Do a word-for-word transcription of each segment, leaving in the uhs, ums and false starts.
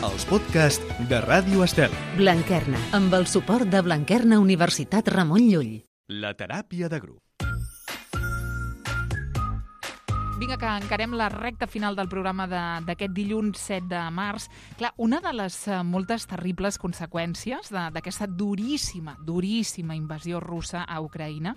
els podcasts de Ràdio Estel. Blanquerna, amb el suport de Blanquerna Universitat Ramon Llull. La teràpia de grup. Vinga, que encarem la recta final del programa de- d'aquest dilluns set de març. Clar, una de les eh, moltes terribles conseqüències de- d'aquesta duríssima, duríssima invasió russa a Ucraïna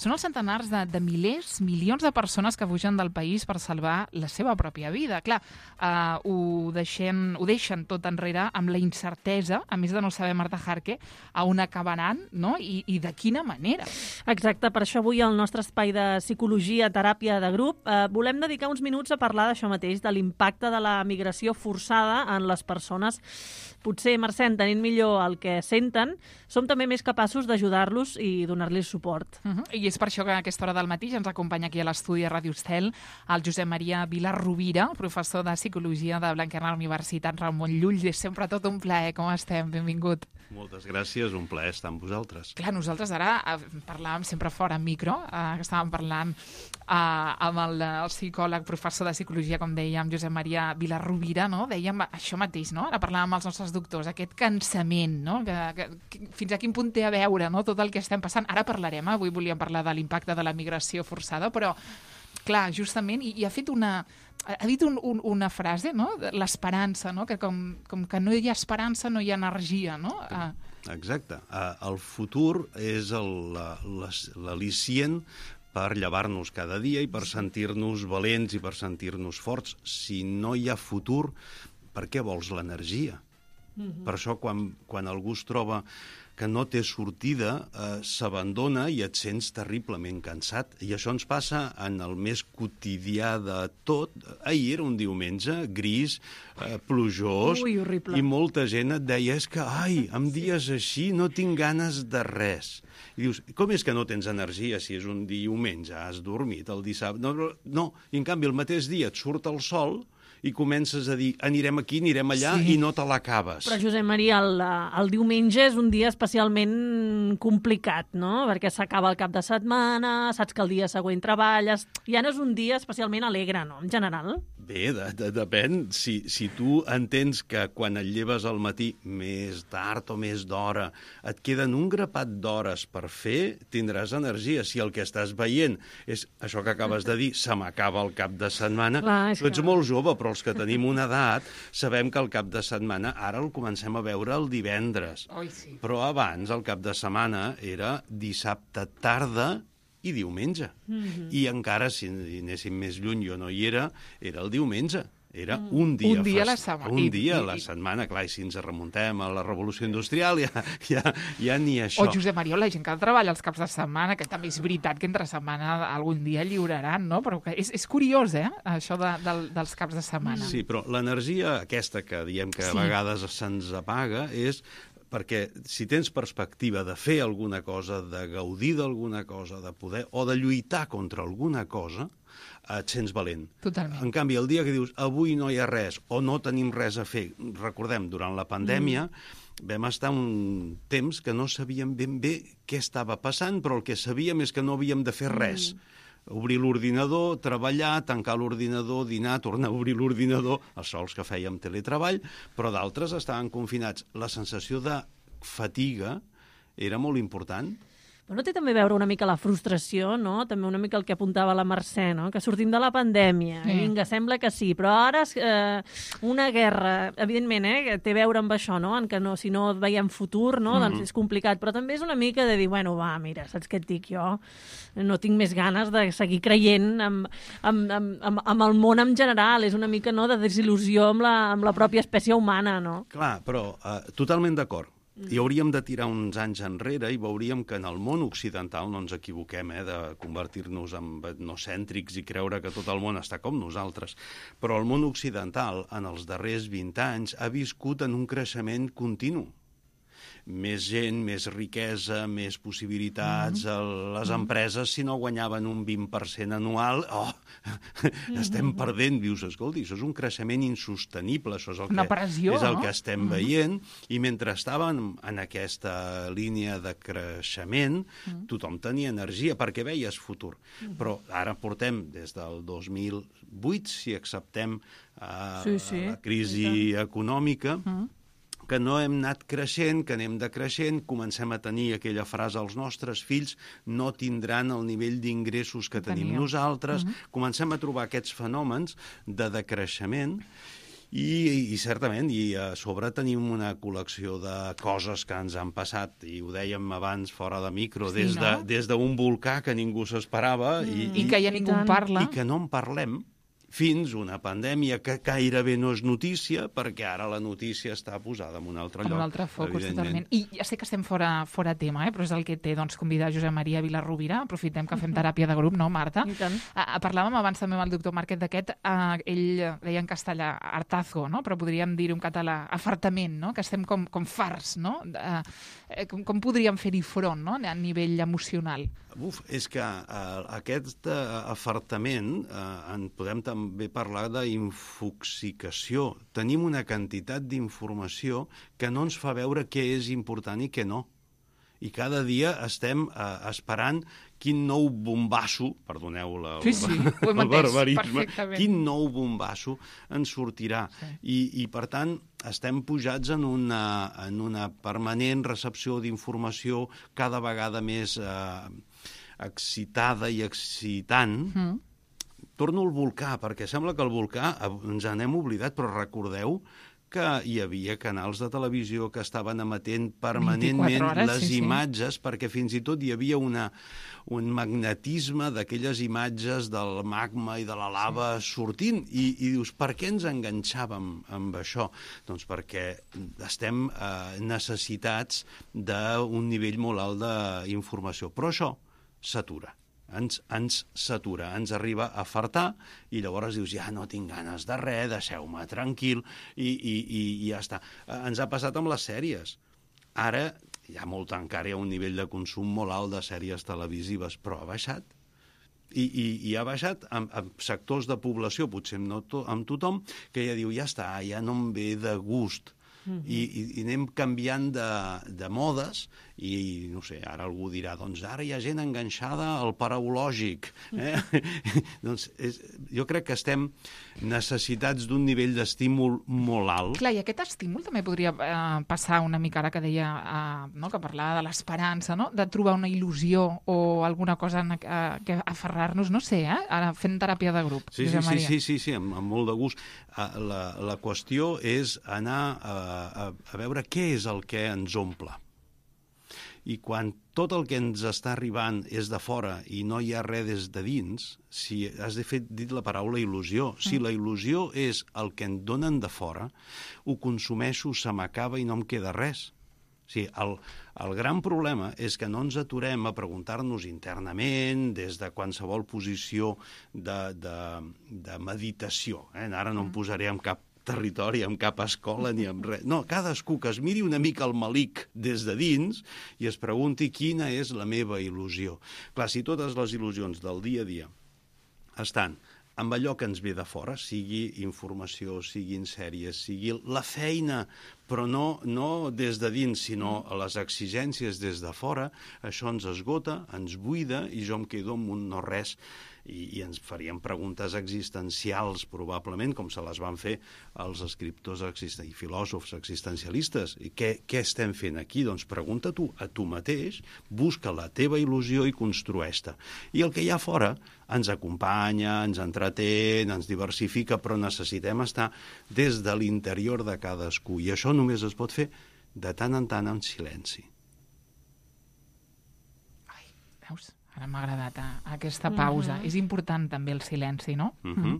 són els centenars de, de milers, milions de persones que fugen del país per salvar la seva pròpia vida. Clar, eh, ho, deixen, ho deixen tot enrere amb la incertesa, a més de no saber, Marta Jarque, a on acabaran, no? I, i de quina manera. Exacte, per això avui al nostre espai de psicologia, teràpia de grup, eh, volem dedicar uns minuts a parlar d'això mateix, de l'impacte de la migració forçada en les persones. Potser, Mercè, entenent millor el que senten, som també més capaços d'ajudar-los i donar-los suport. Uh -huh. I és per això que a aquesta hora del matí ja ens acompanya aquí a l'estudi de Ràdio Estel el Josep Maria Vilar Rovira, professor de Psicologia de Blanquerna Universitat Ramon Llull. És sempre tot un plaer. Com estem? Benvingut. Moltes gràcies, un plaer estar amb vosaltres. Clar, nosaltres ara eh, parlàvem sempre fora en micro, eh, que estàvem parlant eh, amb el, el psicòleg, professor de Psicologia, com dèiem, Josep Maria Vilar Rovira, no? Dèiem això mateix, no? Ara parlàvem amb els nostres doctors, aquest cansament, no? Que, que, que, fins a quin punt té a veure, no? Tot el que estem passant. Ara parlarem, eh? Avui volíem parlar de l'impacte de la migració forçada, però, clar, justament, i, i ha fet una... Ha dit un, un, una frase, no? L'esperança, no? Que com, com que no hi ha esperança, no hi ha energia, no? Ah. Exacte. Uh, el futur és el- la- les- l'al·licient per llevar-nos cada dia i per sentir-nos valents i per sentir-nos forts. Si no hi ha futur, per què vols l'energia? Mm-hmm. Per això, quan, quan algú es troba que no té sortida, eh, s'abandona i et sents terriblement cansat. I això ens passa en el més quotidià de tot. Ahir era un diumenge gris, eh, plujós, Ui, horrible. i molta gent et deia, és que, ai, en dies així no tinc ganes de res. I dius, com és que no tens energia si és un diumenge, has dormit el dissabte? No, no, no. I en canvi el mateix dia et surt el sol i comences a dir, anirem aquí, anirem allà, Sí. i no te l'acabes. Però, Josep Maria, el, el diumenge és un dia especialment complicat, no? Perquè s'acaba el cap de setmana, saps que el dia següent treballes... Ja no és un dia especialment alegre, no?, en general. Bé, de, de, depèn. Si, si tu entens que quan et lleves al matí, més tard o més d'hora, et queden un grapat d'hores per fer, tindràs energia. Si el que estàs veient és això que acabes de dir, se m'acaba el cap de setmana, Clar, és tu ets que- molt jove, però els que tenim una edat sabem que el cap de setmana ara el comencem a veure el divendres. Oi, sí. Però abans, el cap de setmana, era dissabte tarda i diumenge. Mm-hmm. I encara, si anéssim més lluny, jo no hi era, era el diumenge. Era un dia, Un dia a la fest- setmana. Un I- dia a i- la i- setmana, clar, i si ens remuntem a la Revolució Industrial, ja, ja, ja ni això. O Josep Maria, la gent que treballa els caps de setmana, que també és veritat que entre setmana algun dia lliuraran, no? Però que és, és curiós, eh?, això de, del, dels caps de setmana. Sí, però l'energia aquesta que diem que a Sí. vegades se'ns apaga és perquè si tens perspectiva de fer alguna cosa, de gaudir d'alguna cosa, de poder, o de lluitar contra alguna cosa, et sents valent. Totalment. En canvi, el dia que dius avui no hi ha res o no tenim res a fer, recordem, durant la pandèmia mm. vam estar un temps que no sabíem ben bé què estava passant, però el que sabíem és que no havíem de fer res. Mm. Obrir l'ordinador, treballar, tancar l'ordinador, dinar, tornar a obrir l'ordinador, els sols que fèiem teletreball, però d'altres estaven confinats. La sensació de fatiga era molt important. Però no té també a veure una mica la frustració, no? També una mica el que apuntava la Mercè, no? Que sortim de la pandèmia, Sí. i vinga, sembla que sí, però ara eh, una guerra, evidentment, eh, que té a veure amb això, no? En que no, si no veiem futur, no? Mm-hmm. Doncs és complicat, però també és una mica de dir, bueno, va, mira, saps què et dic jo? No tinc més ganes de seguir creient amb, amb, amb, amb, amb el món en general, és una mica, no?, de desil·lusió amb la, amb la pròpia espècie humana, no? Clar, però eh, totalment d'acord. I hauríem de tirar uns anys enrere i veuríem que en el món occidental, no ens equivoquem, eh, de convertir-nos en etnocèntrics i creure que tot el món està com nosaltres, però el món occidental en els darrers vint anys ha viscut en un creixement continu. més gent, més riquesa, més possibilitats. Mm-hmm. Les empreses, si no guanyaven un vint per cent anual, oh, mm-hmm. estem perdent. Dius, escolti, això és un creixement insostenible, això és el Una que, pressió, és el no? que estem mm-hmm. veient, i mentre estàvem en aquesta línia de creixement, mm-hmm. tothom tenia energia perquè veies futur. Mm-hmm. Però ara portem des del dos mil vuit, si acceptem uh, sí, sí. la crisi econòmica, mm-hmm. que no hem anat creixent, que anem decreixent, comencem a tenir aquella frase, els nostres fills no tindran el nivell d'ingressos que tenim Teníem. nosaltres, uh-huh. comencem a trobar aquests fenòmens de decreixement i, i certament, i a sobre tenim una col·lecció de coses que ens han passat, i ho dèiem abans fora de micro, sí, des de, no? des d'un volcà que ningú s'esperava mm. i, i que ja ningú en parla. I que no en parlem, fins una pandèmia que gairebé no és notícia, perquè ara la notícia està posada en un altre lloc. En un altre focus, totalment. I ja sé que estem fora, fora tema, eh? però és el que té doncs, convidar Josep Maria Vilarrubira. Aprofitem que fem teràpia de grup, no, Marta? I tant. Uh, parlàvem abans també amb el doctor Márquez d'aquest, uh, ell deia en castellà hartazo, no? però podríem dir-ho en català, afartament, no? que estem com, com farts, no? Uh, com, com podríem fer-hi front, no? a nivell emocional? Uf, és que uh, aquest uh, afartament uh, en podem també parlar d'infoxicació. Tenim una quantitat d'informació que no ens fa veure què és important i què no. I cada dia estem uh, esperant quin nou bombasso, perdoneu la, sí, sí, ho hem el barbarisme, perfectament. Quin nou bombasso ens sortirà. Sí. I, I, per tant, estem pujats en una, en una permanent recepció d'informació cada vegada més eh, excitada i excitant. Mm. Torno al volcà, perquè sembla que el volcà ens n'hem oblidat, però recordeu que hi havia canals de televisió que estaven emetent permanentment hores, les sí, imatges, sí. perquè fins i tot hi havia una, un magnetisme d'aquelles imatges del magma i de la lava sí. sortint, i, i dius, per què ens enganxàvem amb això? Doncs perquè estem eh, necessitats d'un nivell molt alt d'informació. Però això s'atura. Ens, ens s'atura, ens arriba a fartar, i llavors dius, ja no tinc ganes de res, deixeu-me tranquil, i, i, i, i ja està. Ens ha passat amb les sèries. Ara hi ha molt, encara hi ha un nivell de consum molt alt de sèries televisives, però ha baixat. I, i, i ha baixat amb, amb sectors de població, potser no to, amb tothom, que ja diu, ja està, ja no em ve de gust. Mm-hmm. I, i, i anem canviant de, de modes, i no sé, ara algú dirà, doncs ara hi ha gent enganxada al paraulògic. Eh? Mm-hmm. doncs és, jo crec que estem necessitats d'un nivell d'estímul molt alt. Clar, i aquest estímul també podria eh, passar una mica, ara que deia, eh, no, que parlava de l'esperança, no? de trobar una il·lusió o alguna cosa en, eh, que aferrar-nos, no sé, eh? ara fent teràpia de grup. Sí, sí, sí, sí, sí, sí, amb, amb molt de gust. La, la qüestió és anar a, a, a veure què és el que ens omple. I quan tot el que ens està arribant és de fora i no hi ha res des de dins, si has de fer dit la paraula il·lusió. Si la il·lusió és el que em donen de fora, ho consumeixo, se m'acaba i no em queda res. O sigui, el, el gran problema és que no ens aturem a preguntar-nos internament, des de qualsevol posició de, de, de meditació. Eh? Ara no em posaré en cap territori, amb cap escola ni amb res. No, cadascú que es miri una mica el malic des de dins i es pregunti quina és la meva il·lusió. Clar, si totes les il·lusions del dia a dia estan amb allò que ens ve de fora, sigui informació, siguin sèries, sigui la feina, però no, no des de dins, sinó a les exigències des de fora, això ens esgota, ens buida, i jo em quedo amb un no res, i, i ens faríem preguntes existencials, probablement, com se les van fer els escriptors i filòsofs existencialistes. I què, què estem fent aquí? Doncs pregunta tu a tu mateix, busca la teva il·lusió i construeix-te. I el que hi ha fora ens acompanya, ens entretén, ens diversifica, però necessitem estar des de l'interior de cadascú. I això només es pot fer de tant en tant en silenci. Ai, veus? Ara m'ha agradat eh, aquesta pausa. Uh-huh. És important també el silenci, no? Uh-huh.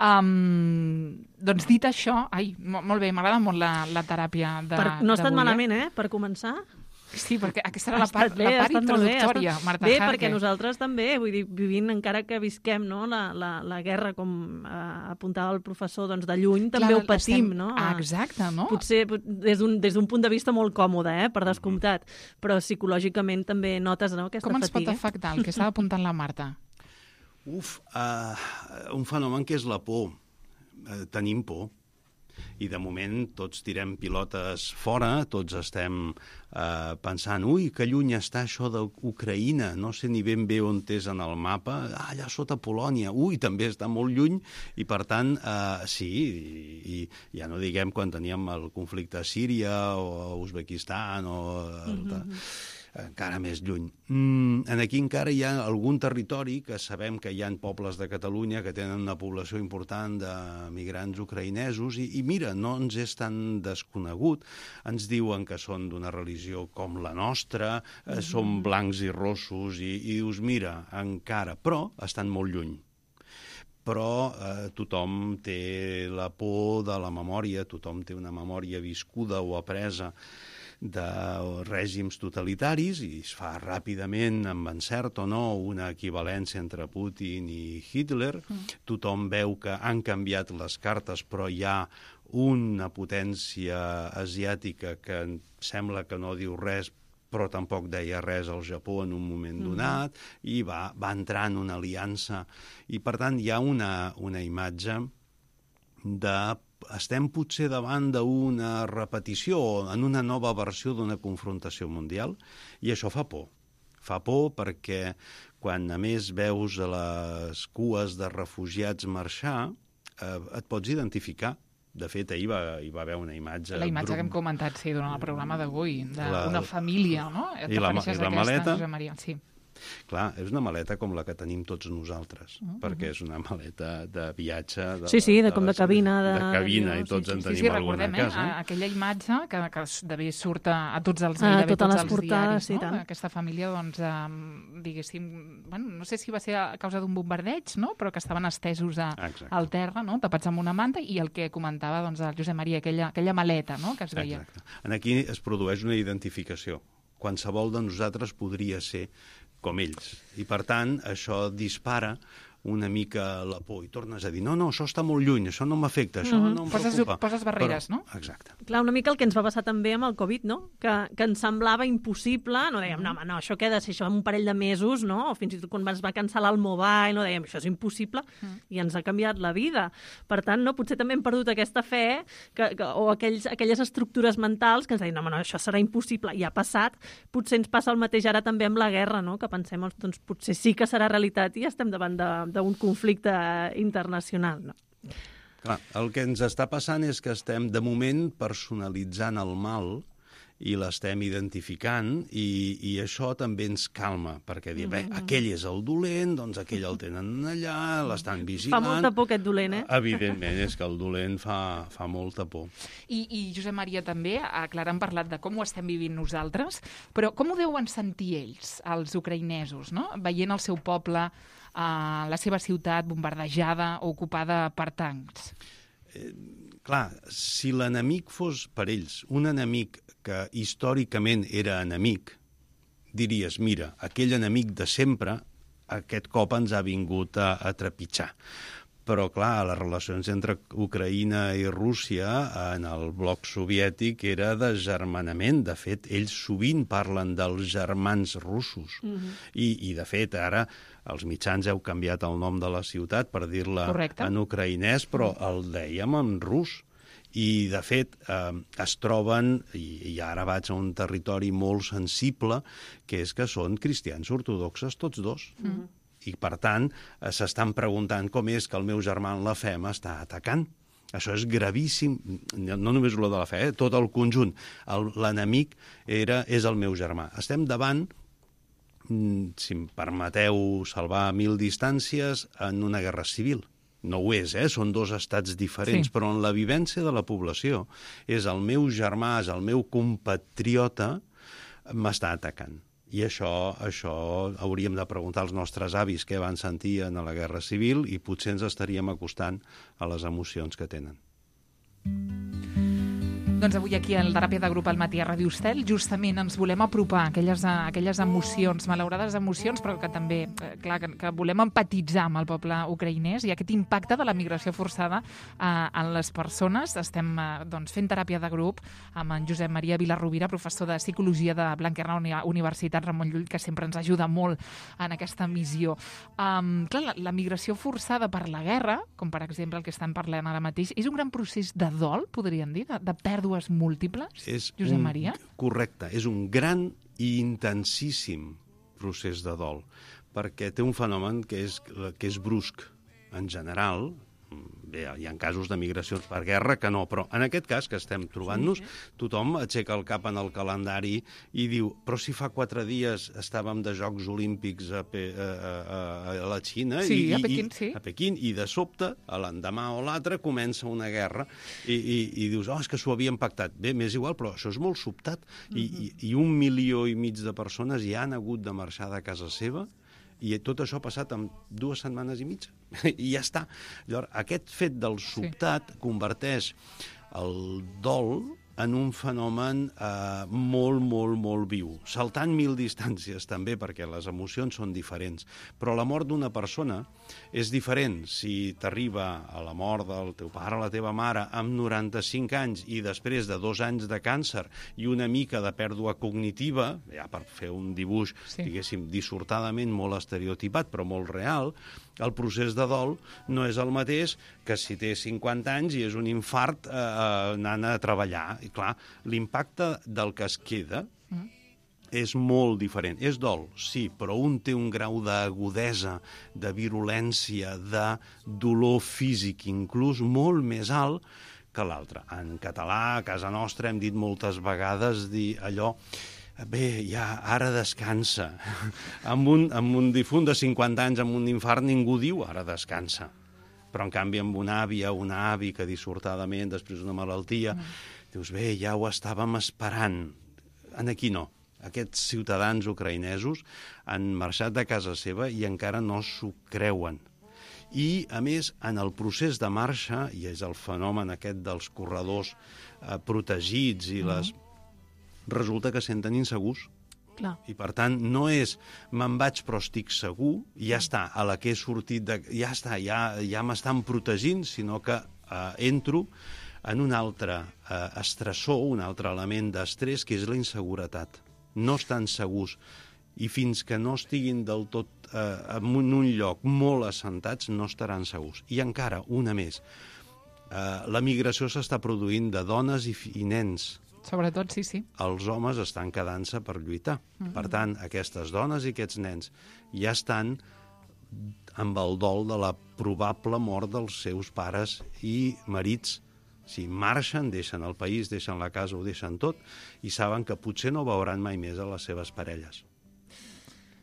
Um, doncs dit això, ai, molt bé, m'agrada molt la, la teràpia de per, No ha estat d'avui, malament, eh, per començar. Sí, perquè aquesta era la Ha part, estat bé, la ha part estat molt bé, ha introductòria, estat- Marta Bé, Jarque. perquè nosaltres també, vull dir, vivint, encara que visquem no, la, la, la guerra, com eh, apuntava el professor, doncs de lluny, també Clar, ho patim, estem- no? Ah, exacte, no? Potser pot- des d'un des d'un punt de vista molt còmode, eh, per descomptat, però psicològicament també notes no, aquesta Com ens pot fatiga. afectar el que estava apuntant la Marta? Uf, uh, un fenomen que és la por. Uh, tenim por. I de moment tots tirem pilotes fora, tots estem eh, pensant, ui, que lluny està això d'Ucraïna, no sé ni ben bé on és en el mapa, ah, allà sota Polònia, ui, també està molt lluny, i per tant, eh, sí, i, i ja no diguem quan teníem el conflicte a Síria o a Uzbekistan o mm-hmm. encara més lluny. Mm, aquí encara hi ha algun territori que sabem que hi ha pobles de Catalunya que tenen una població important de migrants ucraïnesos i, i mira, no ens és tan desconegut. Ens diuen que són d'una religió com la nostra, eh, mm-hmm. són blancs i rossos i, i dius, mira, encara, però estan molt lluny. Però eh, tothom té la por de la memòria, tothom té una memòria viscuda o apresa de règims totalitaris i es fa ràpidament, amb encert o no, una equivalència entre Putin i Hitler. Mm. Tothom veu que han canviat les cartes, però hi ha una potència asiàtica que sembla que no diu res, però tampoc deia res al Japó en un moment donat, mm. i va, va entrar en una aliança. I, per tant, hi ha una, una imatge de estem potser davant d'una repetició o en una nova versió d'una confrontació mundial, i això fa por. Fa por perquè quan a més veus les cues de refugiats marxar, eh, et pots identificar. De fet, ahir va, hi va haver una imatge... La imatge que hem comentat, sí, durant el programa d'avui, d'una família, no? I la, i la maleta... Josep Maria, sí. Clar, és una maleta com la que tenim tots nosaltres, uh-huh. perquè és una maleta de viatge... De, sí, sí, de, de com de les, cabina. De, de cabina, i tots sí, en sí, tenim sí, sí, alguna a casa. Eh? Aquella imatge que, que d'haver surt a, a tots els, ah, gairebé totes tots les els portades, diaris, sí, no? tant. Aquesta família, doncs, eh, diguéssim, bueno, no sé si va ser a causa d'un bombardeig, no? Però que estaven estesos a, al terra, no? Tapats amb una manta, i el que comentava doncs, el Josep Maria, aquella, aquella maleta, no? Que es veia. Exacte. En aquí es produeix una identificació. Qualsevol de nosaltres podria ser com ells. I, per tant, això dispara una mica la por. I tornes a dir, no, no, això està molt lluny, això no m'afecta, això mm-hmm. no em poses, preocupa. Poses barreres, Però, no? Exacte. Clar, una mica el que ens va passar també amb el Covid, no? Que, que ens semblava impossible, no dèiem, no, home, no, això queda, si això en un parell de mesos, no? O fins i tot quan es va cancel·lar el mobile, no dèiem, això és impossible, mm. i ens ha canviat la vida. Per tant, no, potser també hem perdut aquesta fe que, que, o aquells, aquelles estructures mentals que ens deien, no, home, no, això serà impossible, i ha passat. Potser ens passa el mateix ara també amb la guerra, no? Que pensem, doncs potser sí que serà realitat i estem davant d'un conflicte internacional, no? Clar, el que ens està passant és que estem, de moment, personalitzant el mal i l'estem identificant, i, i això també ens calma, perquè dir, bé, aquell és el dolent, doncs aquell el tenen allà, l'estan vigilant... Fa molta por aquest dolent, eh? Evidentment, és que el dolent fa, fa molta por. I, I Josep Maria també, a Clara, han parlat de com ho estem vivint nosaltres, però com ho deuen sentir ells, els ucraïnesos, no? Veient el seu poble, eh, la seva ciutat bombardejada o ocupada per tancs. Eh, clar, si l'enemic fos per ells un enemic que històricament era enemic, diries, mira, aquell enemic de sempre aquest cop ens ha vingut a, a trepitjar. Però, clar, les relacions entre Ucraïna i Rússia en el bloc soviètic era de germanament. De fet, ells sovint parlen dels germans russos. Mm-hmm. I, I, de fet, ara els mitjans heu canviat el nom de la ciutat per dir-la en ucraïnès, però el dèiem en rus. I, de fet, eh, es troben, i, i ara vaig a un territori molt sensible, que és que són cristians ortodoxes tots dos. Mm-hmm. I, per tant, s'estan preguntant com és que el meu germà en la fe m'està atacant. Això és gravíssim, no només lo de la fe, eh? Tot el conjunt. L'enemic era, és el meu germà. Estem davant, si em permeteu salvar mil distàncies, en una guerra civil. No ho és, eh? Són dos estats diferents, sí. Però en la vivència de la població és el meu germà, és el meu compatriota, m'està atacant. I això, això hauríem de preguntar als nostres avis què van sentir en la Guerra Civil i potser ens estaríem acostant a les emocions que tenen. Doncs avui aquí al Teràpia de Grup al matí a Ràdio Estel justament ens volem apropar a aquelles, a aquelles emocions, malaurades emocions, però que també, eh, clar, que, que volem empatitzar amb el poble ucraïnès i aquest impacte de la migració forçada eh, en les persones. Estem eh, doncs, fent teràpia de grup amb en Josep Maria Vilarrubira, professor de Psicologia de Blanquerna Universitat Ramon Llull, que sempre ens ajuda molt en aquesta missió. Um, clar, la, la migració forçada per la guerra, com per exemple el que estan parlant ara mateix, és un gran procés de dol, podríem dir, de, de pèrdua múltiples, és Josep un, Maria? Correcte, és un gran i intensíssim procés de dol, perquè té un fenomen que és, que és brusc. En general, bé, hi ha casos de migracions per guerra que no, però en aquest cas que estem trobant-nos, tothom aixeca el cap en el calendari i diu, però si fa quatre dies estàvem de Jocs Olímpics a, Pe a, a, a la Xina, sí, i, a Pequín, i, sí. a Pequín, i de sobte, a l'endemà o l'altre, comença una guerra i, i, i dius, oh, és que s'ho havien pactat. Bé, m'és igual, però això és molt sobtat. I, uh-huh. i, I un milió i mig de persones ja han hagut de marxar de casa seva i tot això ha passat en dues setmanes i mitja. I ja està. Llavors, aquest fet del sobtat sí. converteix el dol en un fenomen eh, molt, molt, molt viu. Saltant mil distàncies, també, perquè les emocions són diferents. Però la mort d'una persona és diferent si t'arriba a la mort del teu pare o la teva mare amb noranta-cinc anys i després de dos anys de càncer i una mica de pèrdua cognitiva, ja per fer un dibuix, sí. diguéssim, dissortadament molt estereotipat, però molt real, el procés de dol no és el mateix que si té cinquanta anys i és un infart eh, anant a treballar. I clar, l'impacte del que es queda mm. és molt diferent. És dol, sí, però un té un grau d'agudesa, de virulència, de dolor físic, inclús molt més alt que l'altre. En català, a casa nostra, hem dit moltes vegades dir allò... Bé, ja, ara descansa. amb, un, amb un difunt de cinquanta anys, amb un infart, ningú diu ara descansa. Però, en canvi, amb una àvia o un avi que dissortadament, després d'una malaltia, mm. dius, bé, ja ho estàvem esperant. En aquí no. Aquests ciutadans ucraïnesos han marxat de casa seva i encara no s'ho creuen. I, a més, en el procés de marxa, i és el fenomen aquest dels corredors eh, protegits i mm. les... resulta que senten insegurs. Clar. I, per tant, no és me'n vaig però estic segur, ja està, a la que he sortit, de, ja està, ja, ja m'estan protegint, sinó que eh, entro en un altre eh, estressor, un altre element d'estrès, que és la inseguretat. No estan segurs. I fins que no estiguin del tot eh, en un lloc molt assentats, no estaran segurs. I encara, una més, eh, la migració s'està produint de dones i, i nens. Sobretot, sí, sí. Els homes estan quedant-se per lluitar. Mm-hmm. Per tant, aquestes dones i aquests nens ja estan amb el dol de la probable mort dels seus pares i marits. Si marxen, deixen el país, deixen la casa, ho deixen tot, i saben que potser no veuran mai més a les seves parelles.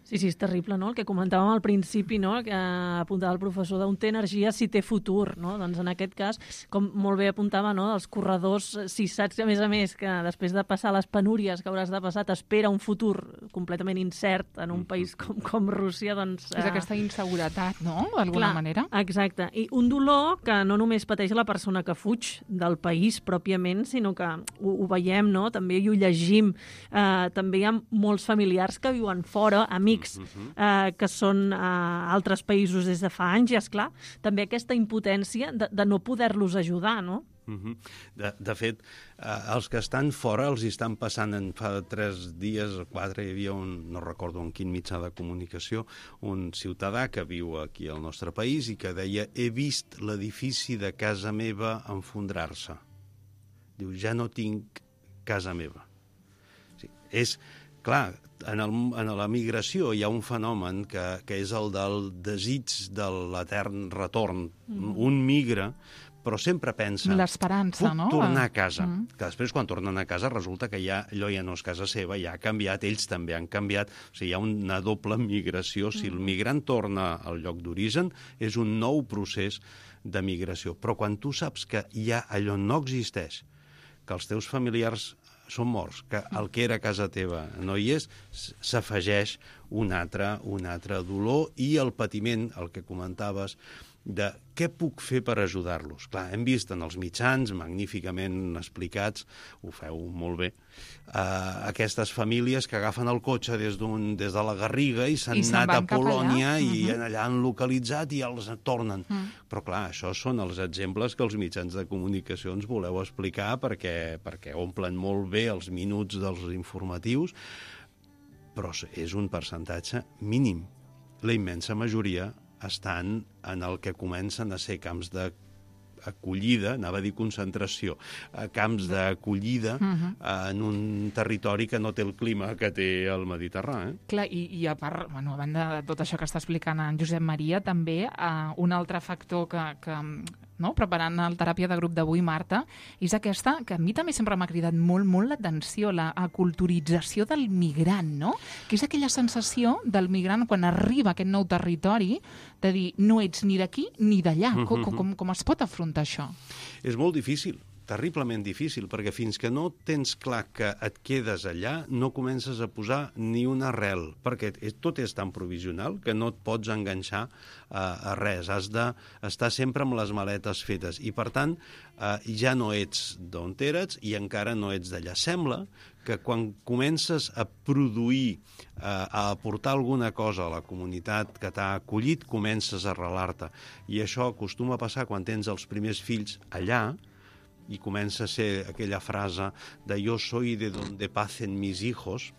Sí, sí, és terrible, no? El que comentàvem al principi, no? Que apuntava el professor d'on té energia si té futur, no? Doncs en aquest cas, com molt bé apuntava, no? Els corredors, si saps, a més a més, que després de passar les penúries que hauràs de passar, t'espera un futur completament incert en un país com, com Rússia, doncs... És eh... aquesta inseguretat, no?, d'alguna manera. Exacte. I un dolor que no només pateix la persona que fuig del país pròpiament, sinó que ho, ho veiem, no?, també ho llegim. Eh, també hi ha molts familiars que viuen fora, amics, Eh, que són a eh, altres països des de fa anys, i, esclar, també aquesta impotència de, de no poder-los ajudar, no? Uh-huh. De, de fet, eh, els que estan fora els hi estan passant en fa tres dies o quatre, hi havia un, no recordo en quin mitjà de comunicació, un ciutadà que viu aquí al nostre país i que deia, he vist l'edifici de casa meva enfondrar-se. Diu, ja no tinc casa meva. Sí, és, clar, en, el, en la migració hi ha un fenomen que, que és el del desig de l'etern retorn. Mm. Un migra, però sempre pensa... L'esperança, no? Puc tornar a casa. Mm. Que després, quan tornen a casa, resulta que ja, allò ja no és casa seva, ja ha canviat, ells també han canviat. O sigui, hi ha una doble migració. Si el migrant torna al lloc d'origen, és un nou procés de migració. Però quan tu saps que ja allò no existeix, que els teus familiars són morts, que el que era casa teva no hi és, s'afegeix un altre, un altre dolor, i el patiment, el que comentaves, de què puc fer per ajudar-los. Clar, hem vist en els mitjans, magníficament explicats, ho feu molt bé, eh, aquestes famílies que agafen el cotxe des, d'un, des de la Garriga i s'han anat a Polònia i uh-huh. allà han localitzat i els tornen. Uh-huh. Però clar, això són els exemples que els mitjans de comunicació ens voleu explicar perquè, perquè omplen molt bé els minuts dels informatius, però és un percentatge mínim. La immensa majoria estan en el que comencen a ser camps d'acollida, anava a dir concentració, camps d'acollida uh-huh. en un territori que no té el clima que té el Mediterrani. Eh? Clar, i, i a part, bueno, a banda de tot això que està explicant en Josep Maria, també eh, un altre factor que, que no, preparant el teràpia de grup d'avui, Marta, és aquesta, que a mi també sempre m'ha cridat molt, molt l'atenció, la aculturització del migrant, no? Que és aquella sensació del migrant quan arriba a aquest nou territori de dir, no ets ni d'aquí ni d'allà. Mm-hmm. Com, com, com es pot afrontar això? És molt difícil, terriblement difícil, perquè fins que no tens clar que et quedes allà, no comences a posar ni una arrel, perquè tot és tan provisional que no et pots enganxar a, a res. Has d'estar sempre amb les maletes fetes i, per tant, eh, ja no ets d'on eres i encara no ets d'allà. Sembla que quan comences a produir, eh, a aportar alguna cosa a la comunitat que t'ha acollit, comences a arrelar-te. I això acostuma a passar quan tens els primers fills allà, i comença a ser aquella frase de «yo soy de donde pacen mis hijos»,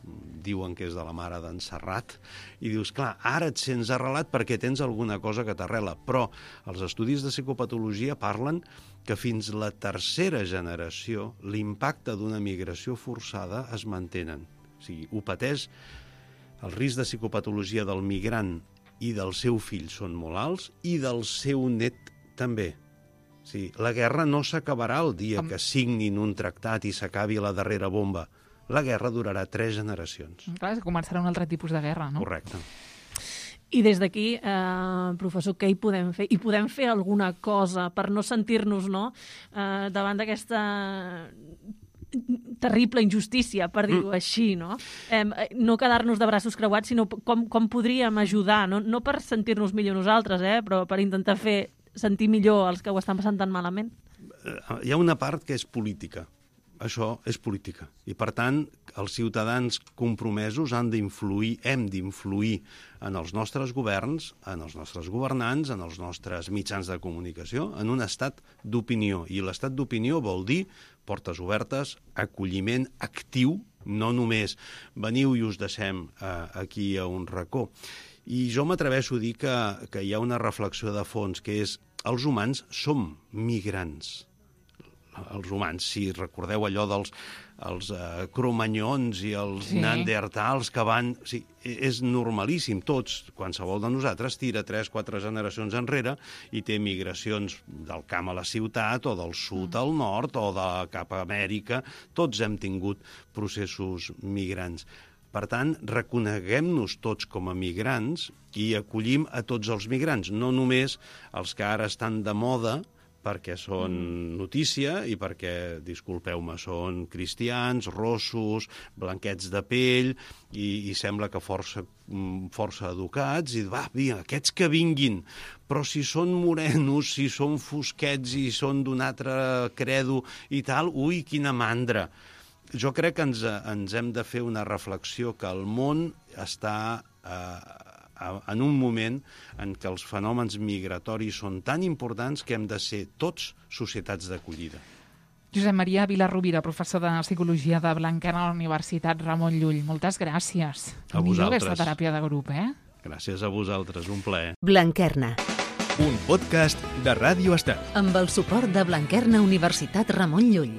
diuen que és de la mare d'en Serrat, i dius, clar, ara et sents arrelat perquè tens alguna cosa que t'arrela, però els estudis de psicopatologia parlen que fins la tercera generació l'impacte d'una migració forçada es mantenen. O sigui, ho pateix, el risc de psicopatologia del migrant i del seu fill són molt alts i del seu net també. Sí, la guerra no s'acabarà el dia que signin un tractat i s'acabi la darrera bomba. La guerra durarà tres generacions. Clar, començarà un altre tipus de guerra, no? Correcte. I des d'aquí, eh, professor, què hi podem fer? I podem fer alguna cosa per no sentir-nos, no?, eh, davant d'aquesta terrible injustícia, per dir-ho mm. així, no? Eh, no quedar-nos de braços creuats, sinó com, com podríem ajudar, no, no per sentir-nos millor nosaltres, eh, però per intentar fer sentir millor els que ho estan passant tan malament? Hi ha una part que és política. Això és política. I, per tant, els ciutadans compromesos han d'influir, hem d'influir en els nostres governs, en els nostres governants, en els nostres mitjans de comunicació, en un estat d'opinió. I l'estat d'opinió vol dir portes obertes, acolliment actiu, no només veniu i us deixem eh, aquí a un racó. I jo m'atreveixo a dir que, que hi ha una reflexió de fons, que és els humans som migrants. Els humans, si recordeu allò dels els, uh, cromanyons i els sí. neandertals que van... Sí, és normalíssim, tots, qualsevol de nosaltres tira tres o quatre generacions enrere i té migracions del camp a la ciutat o del sud mm. al nord o de cap a Amèrica. Tots hem tingut processos migrants. Per tant, reconeguem-nos tots com a migrants i acollim a tots els migrants, no només els que ara estan de moda, perquè són notícia i perquè, disculpeu-me, són cristians, rossos, blanquets de pell i, i sembla que força, força educats i va, vinga, aquests que vinguin, però si són morenos, si són fosquets i són d'un altre credo i tal, ui, quina mandra. Jo crec que ens, ens hem de fer una reflexió que el món està eh, en un moment en què els fenòmens migratoris són tan importants que hem de ser tots societats d'acollida. Josep Maria Vilarrubira, professor de Psicologia de Blanquerna a la Universitat Ramon Llull. Moltes gràcies. A vosaltres. Millor aquesta teràpia de grup, eh? Gràcies a vosaltres, un plaer. Blanquerna. Un podcast de Ràdio Estel. Amb el suport de Blanquerna Universitat Ramon Llull.